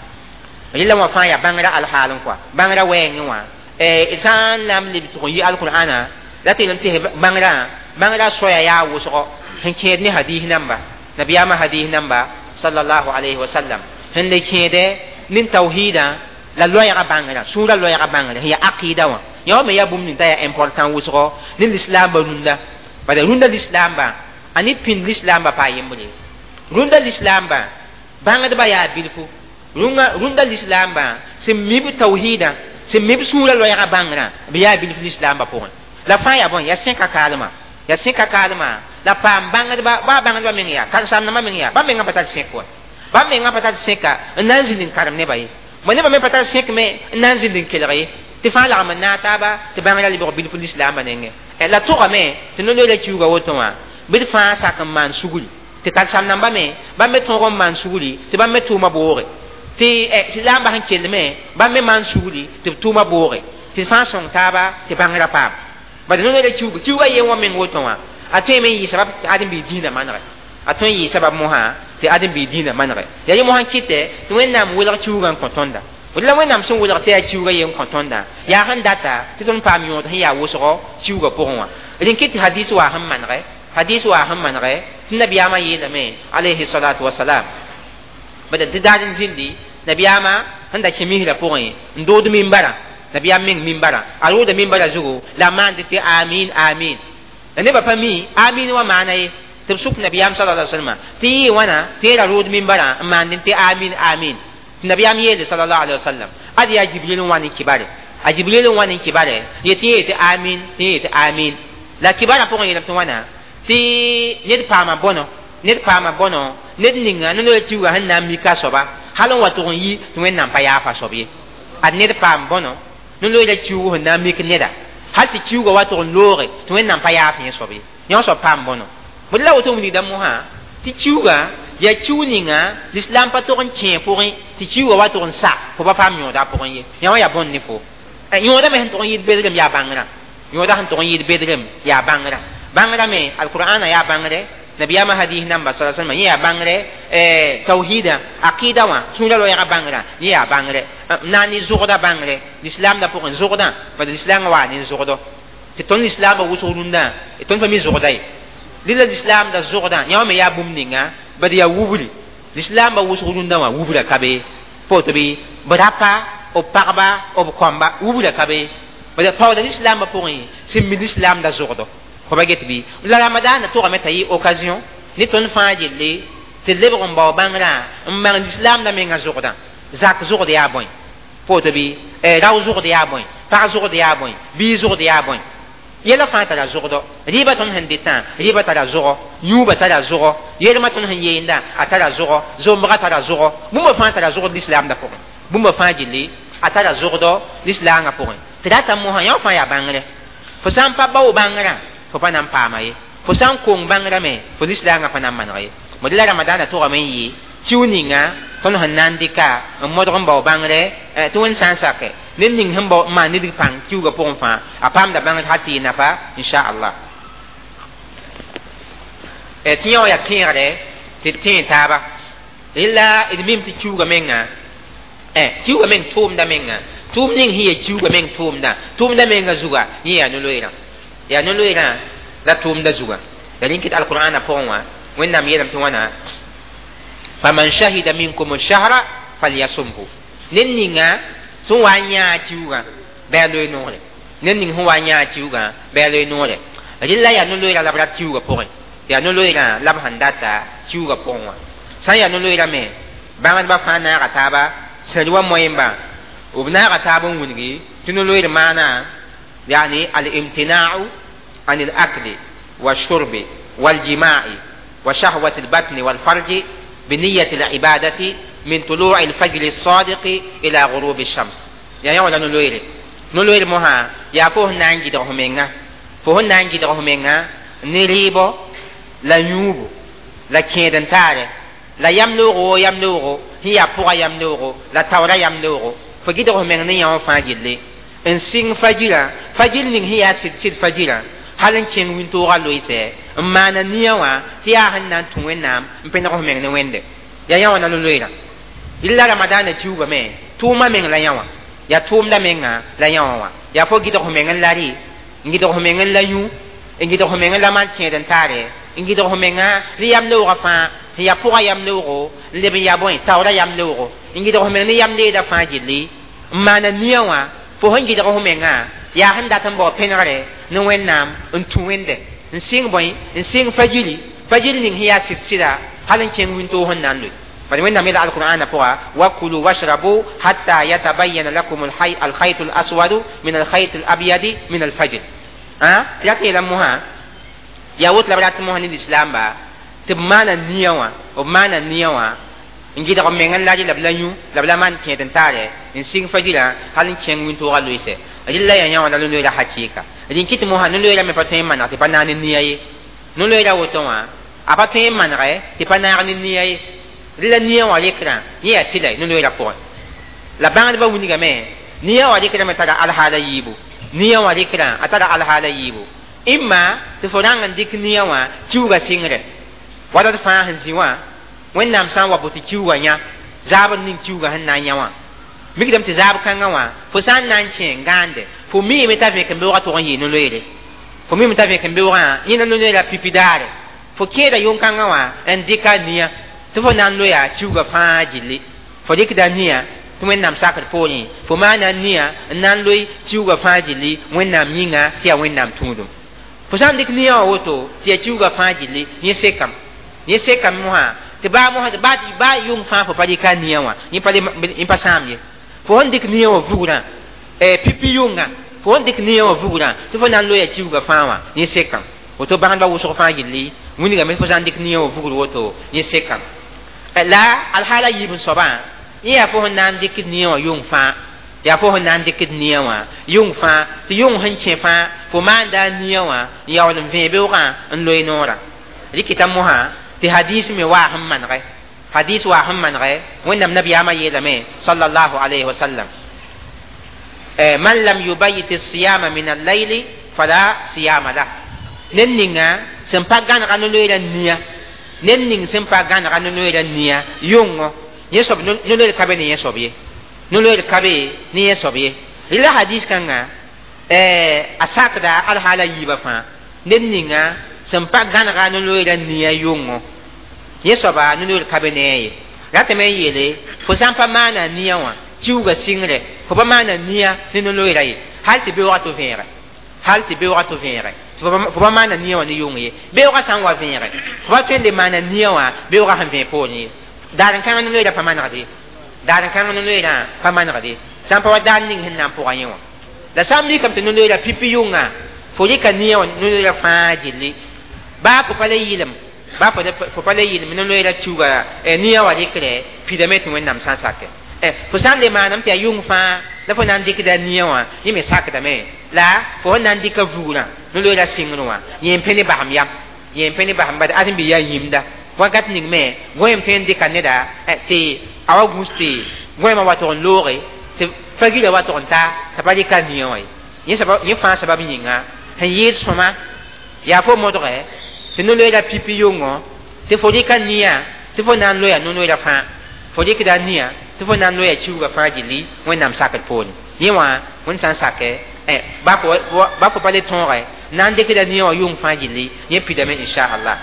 rẽla wã fãa yaa bãngrã alhaal n kɔa bãngrã wɛɛngẽ wã d sã n na n leb tʋg n yɩ alqur'ana la tɩ yeelame tɩ bãngrã bãngrã soaya yaa wʋsgo sẽn kẽed ne hadis namba nabiyaamã hadis namba sallallahu alayhi wa sallam sẽn le kẽede nin tawhidã la loɛɛgã bãngrã sũurã loɛɛgã bãngrã sẽn yaa aqida wã yã wã me yaa bũmb ning t'a yaa important wʋsgo ne lislaambã rũndã bala rũndã lislaambã a ne pĩnd lislaambã paa yembre rũndã lislaambã bãngdbã yaa bilfu rũndã lislaambã sẽn mib tawhidã sẽn mib sũurã loɛɛgã bãngrã b yaa bilf lislaambã pʋgẽ la fãa yaa bõe yaa sẽka kaalmã yaa sẽka kaalmã la paam bãngdba baa bãngdba meng yaa karen-saamdãmbã meng yaa bãmb mengã pa tar sẽk wa bãmb mengã pa tar sẽka n na n zĩnd n karem nebã ye bõ nebã me pa tar sẽk me n na n zĩnd n kelg ye tɩ fãa lagm n naag taaba tɩ bãngrã lebg bilf lislaambã nengẽ la tʋgame tɩ no-loeera kiuugã woto wã bɩ d fãa sak n maan sugri tɩ karen-saam-dãmbã me bãmb me tõog n maan sugri tɩ bãmb me tʋʋmã booge tɩ laambã sẽn kell me bãmb me maan sugri tɩ b tʋʋmã booge tɩ fãa sõng taaba tɩ bãngrã paam bad no-loeera kiuugã kiuugã yen wã meng woto wã a tõe me n yɩ sabab tɩ ãdem-biig dĩinã manege a tõe n yɩ sabab mosã tɩ ãdem-biig dĩinã manege yaa yẽ mosã kɩtɛ tɩ wẽnnaam welg kiuugã n kõ tõnda la wẽnnaam sẽn welg tɩ yaa kiuugã yen kõ tõnda yaa sẽn data tɩ tõnd paam yõod sẽn yaa wʋsgo kiuugã pʋgẽ wã rẽn kɩt tɩ hadis waa sẽn manege hadis waa sẽn manege tɩ nabiyaamã yeelame alayhi salatu wasalam bad tɩ daar n zĩndi nabiyaamã sẽn da kẽ misrã pʋgẽ n dood mimbara nabiyaam meng mimbara a rooda mimbara zugu la a maand tɩ amin amin la nebã pa mi amin wã maana ye tɩ b sʋk nabiyaam sallallahu alaihi wasallam tɩ yɩ wãna tɩ yẽ ra rood mimbara n maand tɩ amin amin tɩ nabiyaam yeele sallallahu alaihi wasallam ad yaa jibril n wa ne kibare a jibril n wa ne kibare yetɩ yẽ yetɩ amin tɩ yẽ yetɩ amin la kibarã pʋgẽ yeelame tɩ wãna tɩ ned paama bõno Ned paama bõno ned ninga no-loeer kiuugã sẽn na n mika a soaba hal n wa tʋg n yi tɩ Wẽnnaam pa yaafa soab ye. Ad ned paam bõno no-loeerã kiuug sẽn na n mik neda hal tɩ kiuugã wa tʋg n looge tɩ Wẽnnaam pa yaaf yẽ soab ye. Yã soab paam bõno bõe la woto wilgda mosã tɩ kiuugã yaa kiu ninga lislaam pa tog n kẽe pʋgẽ tɩ kiuugã wa tʋg n sa fo pa paam yõoda pʋgẽ ye. Yã wã yaa bõn ne fo yõoda me sẽn tʋg n yɩɩd bedrem yaa bãngrã. Yõoda sẽn tʋg n yɩɩd bedrem yaa bãngrã. Bãngrã me alqur'ana yaa bãngre, nabiyama hadis namba sala sallam yẽ yaa bãngre, tawhida aqida wã sũurã loɛɛga bãngrã yẽ yaa bãngre, na n ne zʋgda bãngre lislaamdã pʋgẽ zʋgdã bad lislaamã waa ne zʋgdɔ tɩ tõnd lislaambã wʋsg rũndã tõnd pa mi zʋgda ye. Rɩla lislaamda zʋgdã yã wã me yaa bũmb ninga bad yaa wubri lislaambã wʋsg rũndã wã wubra ka be pa woto bɩ b rapa b pagba b kõmba wubra ka be bad paooda lislaambã pʋgẽ sẽn mi lislaamda zʋgdɔ fo pa get bɩ. La ramadaanã tʋgame t'a yɩ occasion ne tõnd fãa gelle tɩ lebg n bao bãngrã n bãng lislaamda menga zʋgdã. Zak zʋgd yaa bõe pa woto bɩ rao zʋgd yaa bõe pag zʋgd yaa bõe bii zʋgd yaa bõe yɛla fãa tara zʋgdɔ rɩɩbã tõnd sẽn dɩtã rɩɩbã tara zʋgɔ yũubã tara zʋgɔ yelmã tõnd sẽn yeenda a tara zʋgɔ zombgã tara zʋgɔ bũmba fãa tara zʋgd lislaamdã pʋgẽ bũmba fãa gilli a tara zʋgdɔ lislaangã pʋgẽ tɩ rata mosã yã fãa yaa bãngrɛ fo sã n pa bao bãngrã fo pa na n paama ye fo sã n kong bãngrã me fo lislaangã pa na n maneg ye. Mod la ramadaanã tʋgame n yɩ kiu ninga tõnd sẽn na n dɩka n modg n bao bãngre tɩ Wẽnd sã n sake ned ning sẽn bao n maan nidg pãng kiuugã pʋgẽ fãa a paamda bãngr hal tɩ yɩ nafa inchallah. Tɩ yã wã yaa kẽegre tɩ d tẽe taaba rela d mim tɩ kiuugã menga kiuugã meng tʋʋmda menga tʋʋm ning sẽn yaa kiuugã meng tʋʋmda tʋʋmda menga zuga yẽ yaa no-loeerã yaa no-loeerã la tʋʋmda zuga la rẽn kɩt alqur'ana pʋgẽ wã Wẽnnaam yeelame tɩ wãna faman shahida minkum ash-shahra falyasumhu ned ninga sẽn wa n yãa kiuugã bɩ a loe noore ned ning sẽn wa n yãa kiuugã bɩ a loe noore rɩla yaa no-loeerã la b rat kiuugã pʋgẽ yaa no-loeerã la b sẽn data kiuugã pʋgẽ wã sã n yaa no-loeerã me bãngdbã fãa naaga taaba sẽd wa moẽmba b naaga taab n wilgi tɩ no-loeer maana yani al-imtina'u an al-akli والشرب والجماع وشهوة البطن والفرج بنية العبادة من طلوع الفجر الصادق إلى غروب الشمس. يعني ولا نلوير نلوير مها يا فوه نانجي دغه فوه نانجي دغه منغا نريبو لا يوبو لا كيدن تاره لا يملوغو يملوغو هي بوغا يملوغو لا تورا يملوغو فجدغه منغ نيا فاجلي ان سين فجرا فجر نين هي سيد سيد فجرا hal n kẽng wĩntoogã loeesɛ n maana nia wã tɩ yaa sẽn na n tũ Wẽnnaam n pẽneg f meng ne Wẽnde yaa yã wã na no-loeerã rɩla ramadaanã kiuugame tʋʋmã meng la yã wã yaa tʋʋmda menga la yã wã wã yaa fo gɩdg f meng n la rɩ n gɩdg f meng n la yũ n gɩdg f meng n la maan kẽed n taare n gɩdg f menga rɩ yam leoogã fãa sẽn yaa pʋgã yam leoogo n leb n yaa bõe taoorã yam leoogo n gɩdg f meng ne yam leedã fãa gilli n maana nia wã fo sẽn gɩdg f menga yaa sẽn dat n bao pẽnegre ne Wẽnnaam n tũ Wẽnde n sɩng bõe n sɩng fajiri fajiri ning sẽn yaa sɩd-sɩda hal n kẽng wĩntoog sẽn na n loe bad Wẽnnaam yeela alqur'ana pʋga wakulu washrabu hatta yatabayana lakum alkhaytu alaswadu min alkhayt alabyadi min alfajr tɩ rat yeela mosã yaa woto la b rat mosã ne lislaamba tɩ b maana nia wã b maana nia wã n gɩdg b meng n la rɩ la b la yũ la b la maan kẽed n taare n sɩng fajirã hal n kẽng wĩntoogã loeesɛ rɩla yaa yã wã la no-loeerã hakɩɩka rĩn kɩt mosã no-loeerã me pa tõe n maneg tɩ pa naag ne nia ye no-loeerã woto wã a pa tõe n manegɛ tɩ pa naag ne nia ye rɩla nia wã rekrã yẽ yaa tɩla no-loeerã pʋgẽ la bãngdbã wilgame nia wã rekrã me tara alhaala yiibu nia wã rekrã a tara alhaala yiibu imma tɩ fo rãng n dɩk nia wã kiuugã sɩngre watat fãa sẽn zĩ wã Wẽnnaam sã n wa bo tɩ kiuugã yã zaabr ning kiuugã sẽn na n yã wã mikdame tɩ zaab kãngã wã fo sã n na n kẽ n gãande fo miime t'a vẽk n beoogã tʋg n yɩɩ no-loeere fo miime t'a vẽk n beoogã yẽna no-loeerã pipi daare fo kẽeda yʋng-kãngã wã n dɩka nia tɩ fo na n loya kiuugã fãa gilli fo dɩkda nia tɩ Wẽnnaam sakr poorẽ fo maana nia n na n loe kiuugã fãa gilli Wẽnnaam yĩnga tɩ yaa Wẽnnaam tũudum fo sã n dɩk nia wã woto tɩ yaa kiuugã fãa gilli yẽ sekame yẽ sekame mosã tɩ baa mosã baa baa yʋng fãa fo pa dɩka nia wã yẽ pa yẽ pa sãam ye fo sẽn dɩk nia wã vugrã pipi yʋnga fo sẽn dɩk nia wã vugrã tɩ fo na n loya kiuugã fãa wã yẽ sekame Woto bãngdbã wʋsg fãa gilli wilgame fo sã n dɩk nia wã vugr woto yẽ sekame. La alhaala yiib n soabã yẽ yaa fo sẽn na n dɩkd nia wã yʋng fãa, yaa fo sẽn na n dɩkd nia wã yʋng fãa tɩ yʋng sẽn kẽ fãa fo maanda a nia wã n yaool n vẽe beoogã n loe noorã. Rɩkɩta mosã tɩ hadis me waa sẽn manegɛ, hadis waa sẽn manegɛ Wẽnnaam nabiyaamã yeelame sallallahu alayhi wa sallam: man lam yubayit siyama min al-layli fala siyama lah. Ned ninga sẽn pa gãnega no-loeera nia, ned ning sẽn pa gãnega no-loeera nia yʋngo, yẽ soab no-loeer ka be ne yẽ soab ye, no-loeer ka be ne yẽ soab ye. Rɩla hadis kãnga a sakda alhaala yiibã fãa. Ned ninga sẽn pa gãnega no-loeera nia yʋngo, yẽ soaba no-loeer ka be ne a ye. Ratame n yeele fo sã n pa maana nia wã kiuga sɩngre, fo pa maana nia ne no-loeera ye, hal tɩ beoogã tɩ vẽege, hal tɩ beoogã tɩ vẽege fo pa maana nia wã ne yʋng ye. Beoogã sã n wa vẽege fo pa tõe n le maana nia wã beoogã sẽn vẽeg poorẽ ye. Daar n kãng no-loeerã pa manegde, daar n kãng no-loeerã pa manegde sã n pa wa daar ning sẽn na n pʋga yẽ wã. La sã n mikame tɩ no-loeerã pipi yʋnga fo rɩka nia wã no-loeerã fãa gilli, baa fo pa le yɩlem, baa fo pa le yɩlem no-loeerã kiuga nia wã rɩkre pidame tɩ Wẽnnaam sã n sake. Fo sã n le maaname tɩ yaa yʋng fãa la fo na n dɩkda nia wã, yẽ me sakdame. La fo sẽn na n dɩka vugrã no-loeerã sɩngr wã yẽ n pẽ ne basem yam, yẽ n pẽ ne basem bad ad n bɩ yaa yĩmda wakat ning me gõeem tõe n dɩka neda tɩ a wa gũs tɩ gõeemã wa tʋg n looge tɩ fagila wa tʋg n ta t'a pa rɩka nia wã ye. Yẽ fãa sabab yĩnga sẽn yɩɩd sõma yaa fo modgɛ tɩ no-loeerã pipi yʋngo tɩ fo rɩka nia tɩ fo na n loya no-loeerã fãa, fo rɩkda nia tɩ fo na n loya kiuga fãa gilli Wẽnnaam sakr poorẽ. Yẽ wã Wẽnd sã n sakɛ baa fo pa le tõogɛ na n dɩkda nia wã yʋng fãa gilli yẽ pidame inchallah.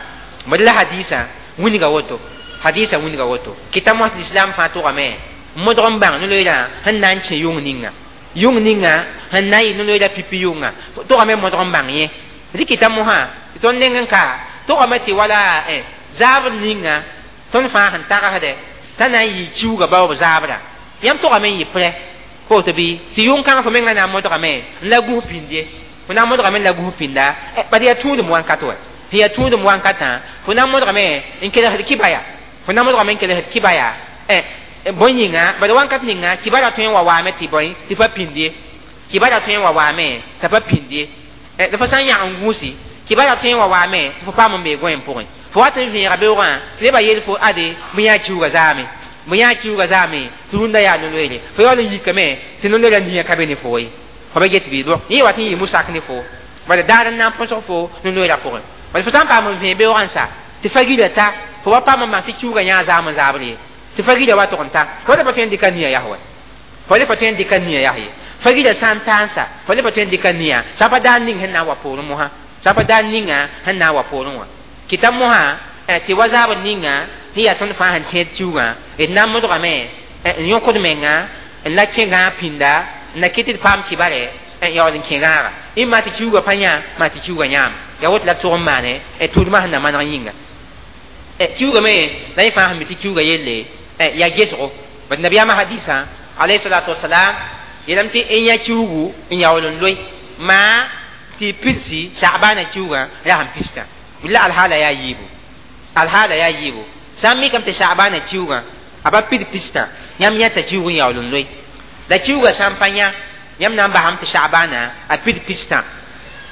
Bad la hadisã wilga woto, hadisã wilga woto kɩta mos l'islam fãa tʋgame modg n bãng no-loeerã sẽn na n kẽ yʋng ninga, yʋng ninga sẽn na n yɩ no-loeerã pipi yʋnga tʋgame modg n bãng yẽ. Rɩkɩta mosã tɩ tõnd neng n ka tʋgame tɩ wala zaabr ninga tõnd fãa sẽn tagsdɛ t'a na n yɩ kiuga baoob zaabrã yãmb tʋgame n yɩ prɛ woto bɩ tɩ yʋng kãngã fo menga na n modgame n la gũs pĩnd ye, fo na n modgame n la gũs pĩnda bad yaa tũudem wãnkat wɛ, sẽn yaa tũudem wãnkatã fo na n modgame n kelgsd kibaya, fo na n modgame n kelgsd kibaya bõe yĩnga bad wãnkat ninga kibara tõe n wa waame tɩ bõe tɩ pa pĩnd ye, kibara tõe n wa waame t'a pa pĩnd ye. La fo sã n yãg n gũusi kibara tõe n wa waame tɩ fo paam n bee gõeem pʋgẽ, fo wat n vẽega beoogã tɩ nebã yeel fo ade bõe yaa kiuga zaame, bõe yaa kiuga zaame tɩ rũndã yaa no-loeere, fo yaool n yikame tɩ no-loeerã nia ka be ne fo ye, fo ba get bɩ yẽ wat n yɩ musak ne fo bala daar n na n põsg fo no-loeerã pʋgẽ. Bala fo sã n paam n vẽe beoogã n sa tɩ fagila ta fo wa paam n bãng tɩ kiuga yãa zaam n zaabr ye, tɩ fagila wa tʋg n ta fo le pa tõe n dɩka nia yas wɛ, fo le pa tõe n dɩka nia yas ye. Fagila sã n ta n sa fo le pa tõe n dɩka nia sã pa daar ning sẽn na n wa poorẽ mosã, sã pa daar ninga sẽn na n wa poorẽ wã. Kɩta mosã tɩ wa zaabr ninga tɩ yaa tõnd fãa sẽn tẽed kiugã d na n modgame n yõkd menga n la kẽ gãag pĩnda n na kɩt tɩ d paam kibare n yaool n kẽ gãaga ɩma tɩ kiuga pa yã maa tɩ kiuga yãam yaa woto la tʋg n maane tʋʋdmã sẽn na maneg yĩnga. Kiuga me la yẽ fãa sẽn mi tɩ kiuga yelle yaa gesgo bad nabiyaamã hadisã alayhi salatu wasalam yeelame tɩ n yã kiugu n yaool n loe maa tɩ pidsi sagbaana kiugã yaa sẽn pistã la alhaala yaa yiibu, alhaala yaa yiibu. Sã n mikame tɩ sagbaana kiugã a pa pid pistã yãmb yãta kiug n yaool n loe la kiugã sã n pa yã yãmb na n basame tɩ sagbaana a pid pistã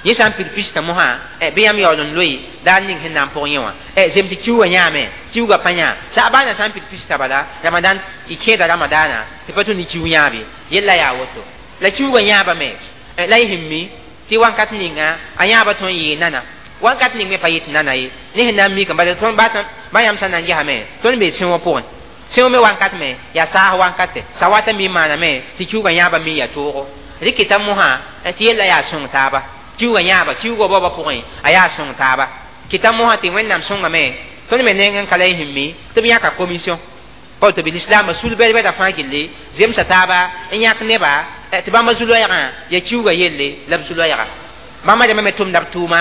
yẽ sã n pid pistã mosã bɩ yãmb yaool n loe daar ning sẽn na n pʋg yẽ wã zem tɩ kiugã yãame kiugã pa yã sagbaana sã n pid pistã bala ramadan y kẽeda ramadaana tɩ pa tũ ne kiug yãab ye yella yaa woto. La kiugã yãabame la y sẽn mi tɩ wãnkat ninga a yãaba tõe n yɩɩ nana wãnkat ning me pa yɩ tɩ nana ye ne sẽn na n mikame bala tõnd ba yãmb sã na n gesame tõnd bee sẽwã pʋgẽ sẽw me wãnkat me yaa saas wãnkate sawata mi maaname tɩ kiugã yãaba mi yaa toogo rɩkɩta mosã tɩ yella yaa sõng taaba kiugã yãaba kiugã baoobã pʋgẽ a yaa sõng taaba kɩta mosã tɩ Wẽnnaam sõngame tõnd me neng n ka la y sẽn mi tɩ b yãka commission pa tɩ b lislaambã sul bɛd-bɛda fãa gilli zemsa taaba n yãk neba tɩ bãmba zu-loɛɛgã yaa kiugã yelle la b zu-loɛɛga bãmba rãmbã me tʋmda b tʋʋma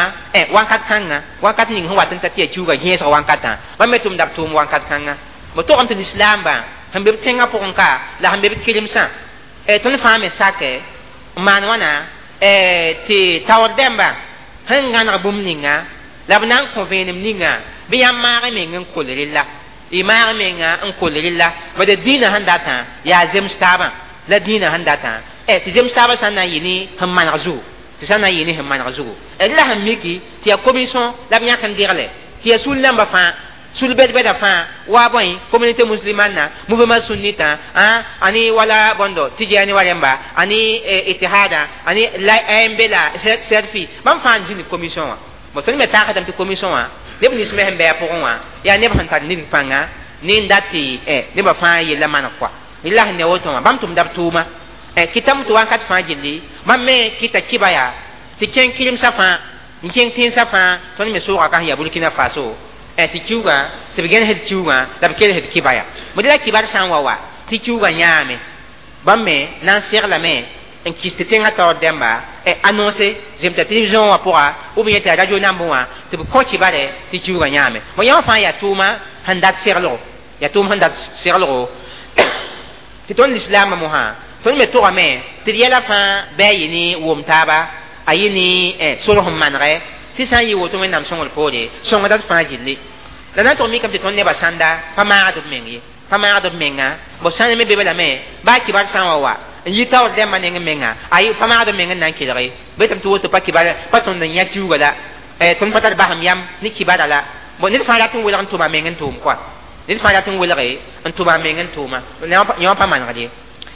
wãnkat kãnga wãnkat ning sẽn wat n ta tɩ yaa kiugã gẽesg wãnkatã bãmb me tʋmda b tʋʋm wãnkat kãnga b togame tɩ lislaambã sẽn be b tẽngã pʋgẽ ka la sẽn be b kɩremsã tõnd fãa me sakɛ n maan wãna tɩ taoor dẽmba sẽn gãneg bũmb ninga La b na n kõ vẽenem ninga bɩ yãmb maag y meng n kol rella y maag menga n kol rella bad dĩinã sẽn datã yaa zems taabã la dĩinã sẽn datã tɩ zems taabã sã n na n yɩ ne sẽn maneg zugu tɩ sã n na n yɩ ne sẽn maneg zugu d la sẽn miki tɩ yaa commission la b yãk n degle tɩ yaa sul nambã fãa sul bɛd-bɛda fãa wa bõe communauté musulmane mouvement sunnita ani wala bõndo tijani wa rẽmba ani itihada ani A M B la serfi bãmb fãa n zĩnd commission wã bon tõnd me tagsdame tɩ commission wã neb nins me sẽn bɩ a pʋgẽ wã yaa neb sẽn tar nidg pãnga ne n dat tɩ nebã fãa yella maneg kɔa la sẽn ne woto wã bãmb tʋmda b tʋʋma kɩtame tɩ wakat fãa gilli bãmb me kɩta kiba yaa tɩ kẽng kɩremsã fãa n kẽng tẽnsã fãa tõnd me sʋʋga ka sẽn yaa Burkina Faso tɩ kiuugã tɩ b gẽnesd kiuugã la b kelsd kiba yaa bõe la kibar sã n wa wa tɩ kiuugã yãame bãmb me na n seglame n kis tɩ tẽngã taoor dẽmba annonce zemta télévision wã pʋga ou bien tɩ radio namb wã tɩ b kõ kibare tɩ kiuugã yãame bõ yã wã fãa yaa tʋʋma sẽn dat seglgo yaa tʋʋm sẽn dat seglgo tɩ tõnd lislaambã mosã tõnd me togame tɩ d yɛla fãa bɩ a yɩ ne wom taaba a yɩ ne sor sẽn manegɛ tɩ sã n yɩ woto wẽnnaam sõngr poore sõngda d fãa gilli la na n tʋg mikame tɩ tõnd nebã sãnda pa maagd b meng ye pa maagd b menga bo sãn me be lame baa kibar sã n wa wa n yi taoor dẽmbã neng menga a pa maagd b meng n na n kelge betame tɩ woto pa kibar pa tõnd n yã kiuuga la tõnd pa tar basem yam ne kibara la bon ned fãa rat n welg n tʋma meng n tʋʋm kɔa ned fãa rat n welge n tʋma meng n tʋʋma yã wã pa manegd ye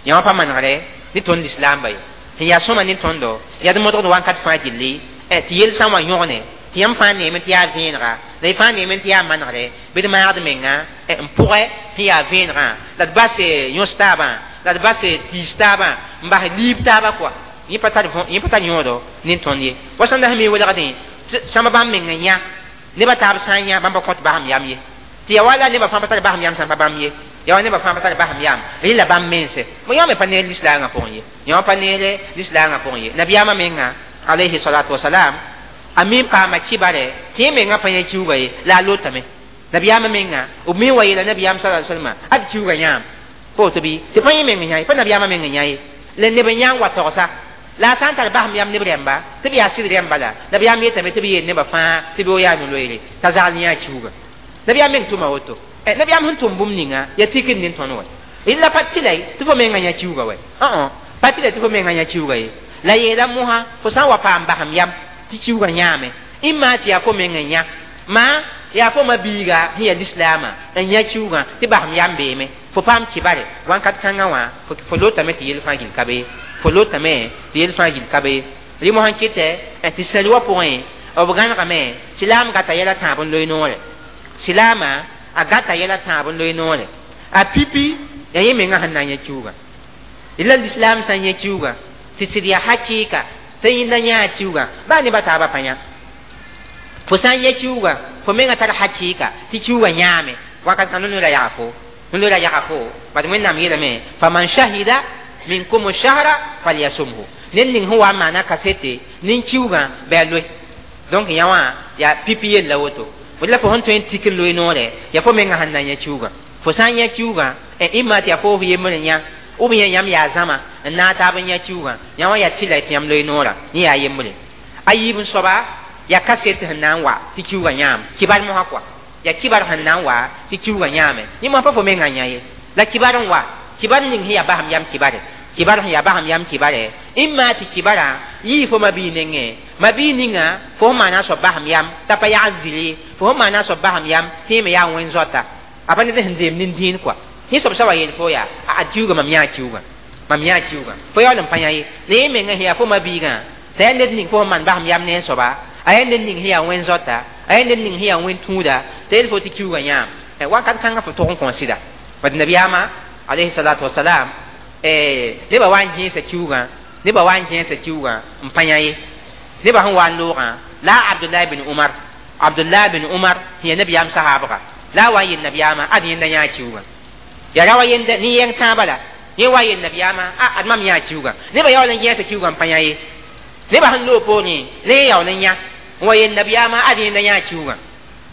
yã wã pa manegre ne tõnd lislaamba ye sẽn yaa sõma ne tõndo yaa d modgd wakat fãa gilli tɩ yel sã n wa yõgne tɩ yãmb fãa neeme tɩ yaa vẽenega la y fãa neeme tɩ yaa manegre bɩ d maagd menga n pʋgɛ tɩ yaa vẽenegã la d bas yõs taabã la d bas tiis taabã n bas liib taabã kɔa yẽ pa tar yẽ pa tar yõodo ne tõnd ye wa sãn da sẽn me welgdẽ sãmba bãmb meng n yã nebã taab sã n yã bãmb pa kõt basem yam ye tɩ ya wala nebã fãa pa tar basem yam sã n pa bãmb ye ya wa nebã fãa pa tar basem yam rẽ la bãmb mense mo yã me pa neer lislaangã pʋgẽ ye yã wã pa neere lislaangã pʋgẽ ye nabiyaamã menga alayhi salatu wasalam a min paama kibare tɩ yẽ menga pa yã kiuuga ye la a lotame nabiyaamã menga b min wa yeela nabiyaam sa salma ad kiuuga yãam pa woto bɩ tɩ pa yẽ meng yã ye pa nabiyaamã meng yã ye la neb n yã n wa togsa la a sã n tar basem yam neb rẽmba tɩ b yaa sɩd rẽmba la nabiyaam yetame tɩ b yeel nebã fãa tɩ bɩ yaa no-loeere t'a zagl yã kiuuga nabiyaam meng tʋma woto nabiyaam sẽn tʋm bũmb ninga yaa tikd ne tõnd wa la pa tɩ la tɩ fo menga yã kiuuga wa pa tɩ la tɩ fo menga yã kiuuga ye la yeela mosã fo sã n wa paam basem yam tɩ kiuugã yãame ĩmma tɩ yaa fo meng n yã maa yaa fo ma biiga sẽn yaa lislaamã n yã kiuugã tɩ basem yam beeme fo paam kibare wãnkat kãngã wã fo lotame tɩ yel fãa gill ka be fo lotame tɩ yel fãa gill ka be rɩ mosã kɩtɛ tɩ sẽr wã pʋgẽ b gãnegame silaam gata yɛla tãab n loe noore silaamã a gata yɛla tãab n loe noore a pipi yaa yẽ mengã sẽn na n yã kiuugã la lislaam sã n yã kiuugã tɩ sɩd yaa hakɩɩka tɩ yẽnda yãa kiuugã baa nebã taabã pa yã fo sã n yã kiuugã fo menga tar hakɩɩka tɩ kiuugã yãame wakat kãn no la yaga fo no la yaga fo bad wẽnnaam yeelame faman shahida minkum shahra falyasumhu ned ning sẽn wa n maana kasete nin-kiuugã bɩ a loe donc yã wã yaa pipi yella woto la fo sẽn tõe n tik n loe noore yaa fo menga sẽn na n yã kiuugã fo sã n yã kiuugã ĩmma tɩ yaa fo f yembr n yã ou bien yãmb yaa zãma n naag taab n yã kiuugã yã wã yaa tɩ la tɩ yãmb loe noorã yẽ yaa yembre a yiib n soaba yaa kaset sẽn na n wa tɩ kiuugã yãam kibar mosã kɔa yaa kibar sẽn na n wa tɩ kiuugã yãame yẽ mosã pa fo menga yã ye la kibar n wa kibar ning sẽn yaa basem yam kibare kibar sẽn yaa basem yam kibare ĩmma tɩ kibara yii fo mabii nengẽ mabii ninga fo sẽn maana soab basem yam t'a pa yagd zɩlɩ fo sẽn maana soab basem yam tɩ yẽ me yaa wẽn-zoata a pa ned sẽn deem nin-dĩin kɔa yẽ soab sã wa yeel fo yaa a kiuugã mam yãa kiuugã mam yãa kiuugã fo yaool n pa yã ye la yẽ menga sẽn yaa fo mabiigã t'a yaa ned ning fo sẽn maan basem yam ne n soaba a yaa ned ning sẽn yaa wẽn-zoata a yaa ned ning sẽn yaa wẽn-tũuda t'a yeel fo tɩ kiuugã yãam wakat kãngã fo tʋg n kõ sɩda bad nabiyaamã alayhi salatu wasalam nebã wa n gẽesa kiuugã nebã wa n gẽesa kiuugã n pa yã ye nebã sẽn wa n loogã la abdullah bin umar abdullah bin umar sẽn yaa nabiyaam sahaabga la a wa n yel nabiyaamã ad yẽnda yãa kiuugã yaa ra wa yenda ne yɛng tãabã la yẽ wa yel nabiyaamã a ad mam yãa kiuugã nebã yaool n gẽesa kiuugã n pa yã ye nebã sẽn loog poorẽ ne yẽ yaool n yã n wa yel nabiyaamã ad yẽnda yãa kiuugã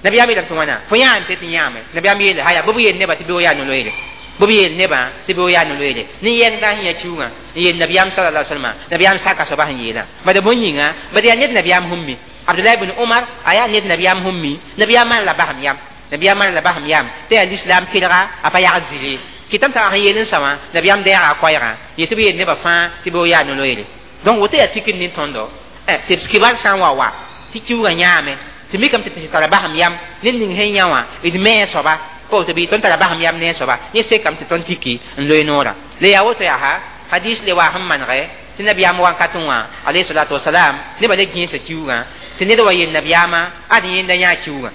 nabiyaam yeelame tɩ wãna fo yãa n tɩ tɩ yãame nabiyaam yeele haya bɩ b yeel nebã tɩ bɩ yaa no-loeere bɩ b yeel nebã tɩ bɩ yaa no-loeere ne yɛngda sẽn yã kiuugã n yeel nabiyaam sala la salma nabiyaam saka soaba sẽn yeelã bad bõe yĩnga bad yaa ned nabiyaam sẽn mi Abdullah ibn Umar aya ned nabiyam sẽn mi nabiyam maan la basem yam nabiyam maan la basem yam tɩ yaa lislaam kelga a pa yagd zɩle kɩtame t'a sẽn yeel n sa wã nabiyam deega a koɛɛgã yetɩ b yeel nebã fãa tɩ b yaa no-loeere donc woto yaa tikr nin tõndo tɩ b kibar sã n wa wa tɩ kiuugã yãame tɩ mikame tɩ tɩ tara basem yam ned ning sẽn yã wã d me a soaba pa woto bɩ tõnd tara basem yam ne a soaba yẽ sekame tɩ tõnd tiki n loe noorã la yaa woto yaa ha hadis le waa sẽn manegɛ tɩ nabiyaam wankatẽ wã alayhi salatu wasalam nebã le gẽesa kiuugã tɩ ned wa yel nabiyaamã ad yẽnda yãa kiuugã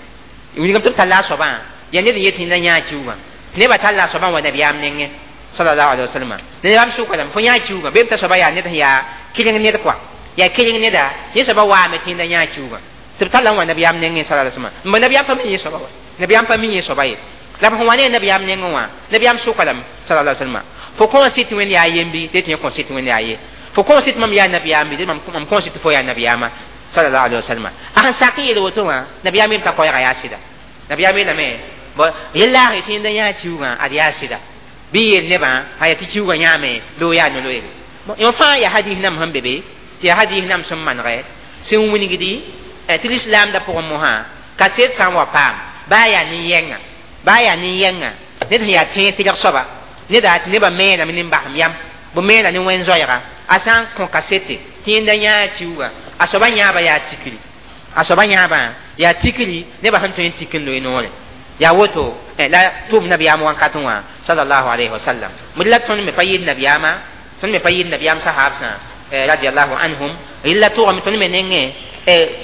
wilgame tɩ b talla a soabã yaa ned n yet yẽnda yãa kiuugã tɩ nebã talla a soabã n wa nabiyaam nengẽ sallallahu alaihi wasallam nabiyaam sʋka lame fo yãa kiuugã bee b t'a soaba yaa ned sẽn yaa keleng ned kɔa yaa keleng neda yẽ soaba waame tɩ yẽnda yãa kiuugã tɩ b talla n wa nabiyaam nengẽ sallallahu alaihi wasallam n ba nabiyaam pa mi yẽ soaba wa nabiyaam pa mi yẽ soaba ye la b sẽn wa ne nabiyaam nengẽ wã nabiyaam sʋka lame sallallahu alaihi wasallam fo kõ sɩ tɩ wẽnd yaa yembi tɩ yẽ kõ sɩ tɩ wẽnd yaa ye fo kõ sɩ tɩ mam yaa nabiyaam bɩ mam kõ sɩ tɩ fo yaa nabiyaamã sallallahu alaihi wasallam a sẽn sak n yeel woto wã nabiyaam yem t'a koɛɛgã yaa sɩda nabiyaam yeelame yel-laag tɩ yẽnda yãa kiuugã ad yaa sɩda bɩ yeel nebã a yaa tɩ kiuugã yãame bɩ yaa no-loeere yõ fãa yaa hadis nam sẽn be be tɩ yaa hadis nam sẽn manegɛ sẽn wilgdi tɩ lislaamdã pʋgẽ mosã kaset sã n wa paam baa yaa nin-yɛnga baa yaa nin-yɛnga ned sẽn yaa tẽeg tɩlg soaba neda tɩ nebã meename ne basem yam b meena ne wẽn-zoɛɛga a sã n kõ kasete tɩ yẽnda yãa kiuugã a soaba yãaba yaa tikri a soaba yãabã yaa tikri nebã sẽn tõe n tik n loe noore yaa woto la tʋʋm nabiyaam wankatẽ wã sallallahu alayhi wasallam md la tõnd me pa yɩɩd nabiyaamã tõnd me pa yɩɩd nabiyaam sahaabsã radiallahu anhum rɩla tʋgame tõnd me nengẽ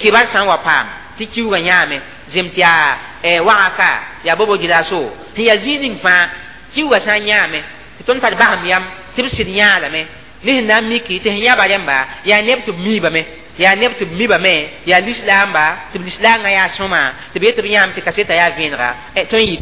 kibar sã n wa paam tɩ kiuugã yãame zem tɩ yaa wagaka yaa bobo gilaso sẽn yaa zĩig ning fãa kiuugã sã n yãame tɩ tõnd tar basem yam tɩ b sɩd yãalame ne sẽn na n miki tɩ sẽn yãba rẽmba yaa neb tɩ b miibame yaa neb tɩ b mibame yaa lislaamba tɩ b lislaangã yaa sõma tɩ b yet tɩ b yãam tɩ kaseta yaa vẽenega tõe n yɩ